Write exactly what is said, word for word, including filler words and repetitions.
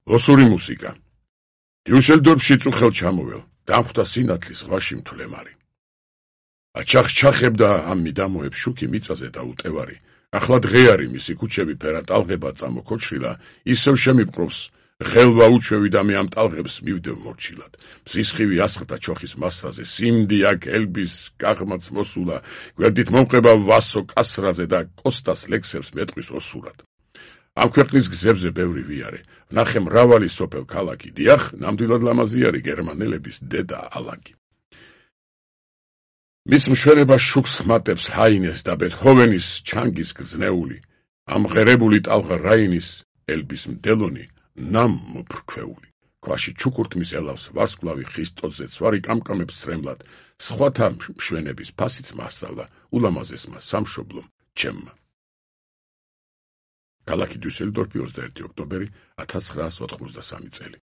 ოსური მუსიკა. დიუსელდორფში წუხელ ჩამოվել, დამხვდა სინათლის ზღვაში მთლემარი. აჩახჩახებდა ამ მიდამოებს შუქი მიწაზე და უტევარი. ახლა დღეარი მისი ქუჩები ფერად ალღებად წამოქოჩრილა, ისევ შემიპყრობს ღელვა უჩვევი და მე ამ ტალღებს მივდევ მორჩილად. მზისხივი ასხდა ჩოხის მასაზე, სიმდი აქ ელბის კაღმაც მოსულა, გვერდით მომყება ვასო კასრაძე და კოსტას ლექსებს მეტყვის ოსურად. ამ ქვეყნის გზებზე ბევრი ვიარე, ვნახე მრავალი სოფელ ქალაქი, დიახ, ნამდვილად ლამაზი არის გერმანელების დედა ალაგი. მის მშვენებას შუქს ხმატებს ჰაინეს და ბეთჰოვენის ჩანგის გრძნეული, ამ ღერებული ტალღა რაინის ელბის მდელონი ნამ მოფრქვეული. ქვაში ჩუქურთმის ელავს ვარსკვლავი ხისტოზე ცვარი კამკამებს სრემლად, სხვათა მშვენების ფასიც მასწავლა ულამაზესმა სამშობლომ ჩემმა. ქალაქი დიუსელდორფი ოცდაერთი ოქტომბერი ათას ცხრაას ოთხმოცდასამი წელი.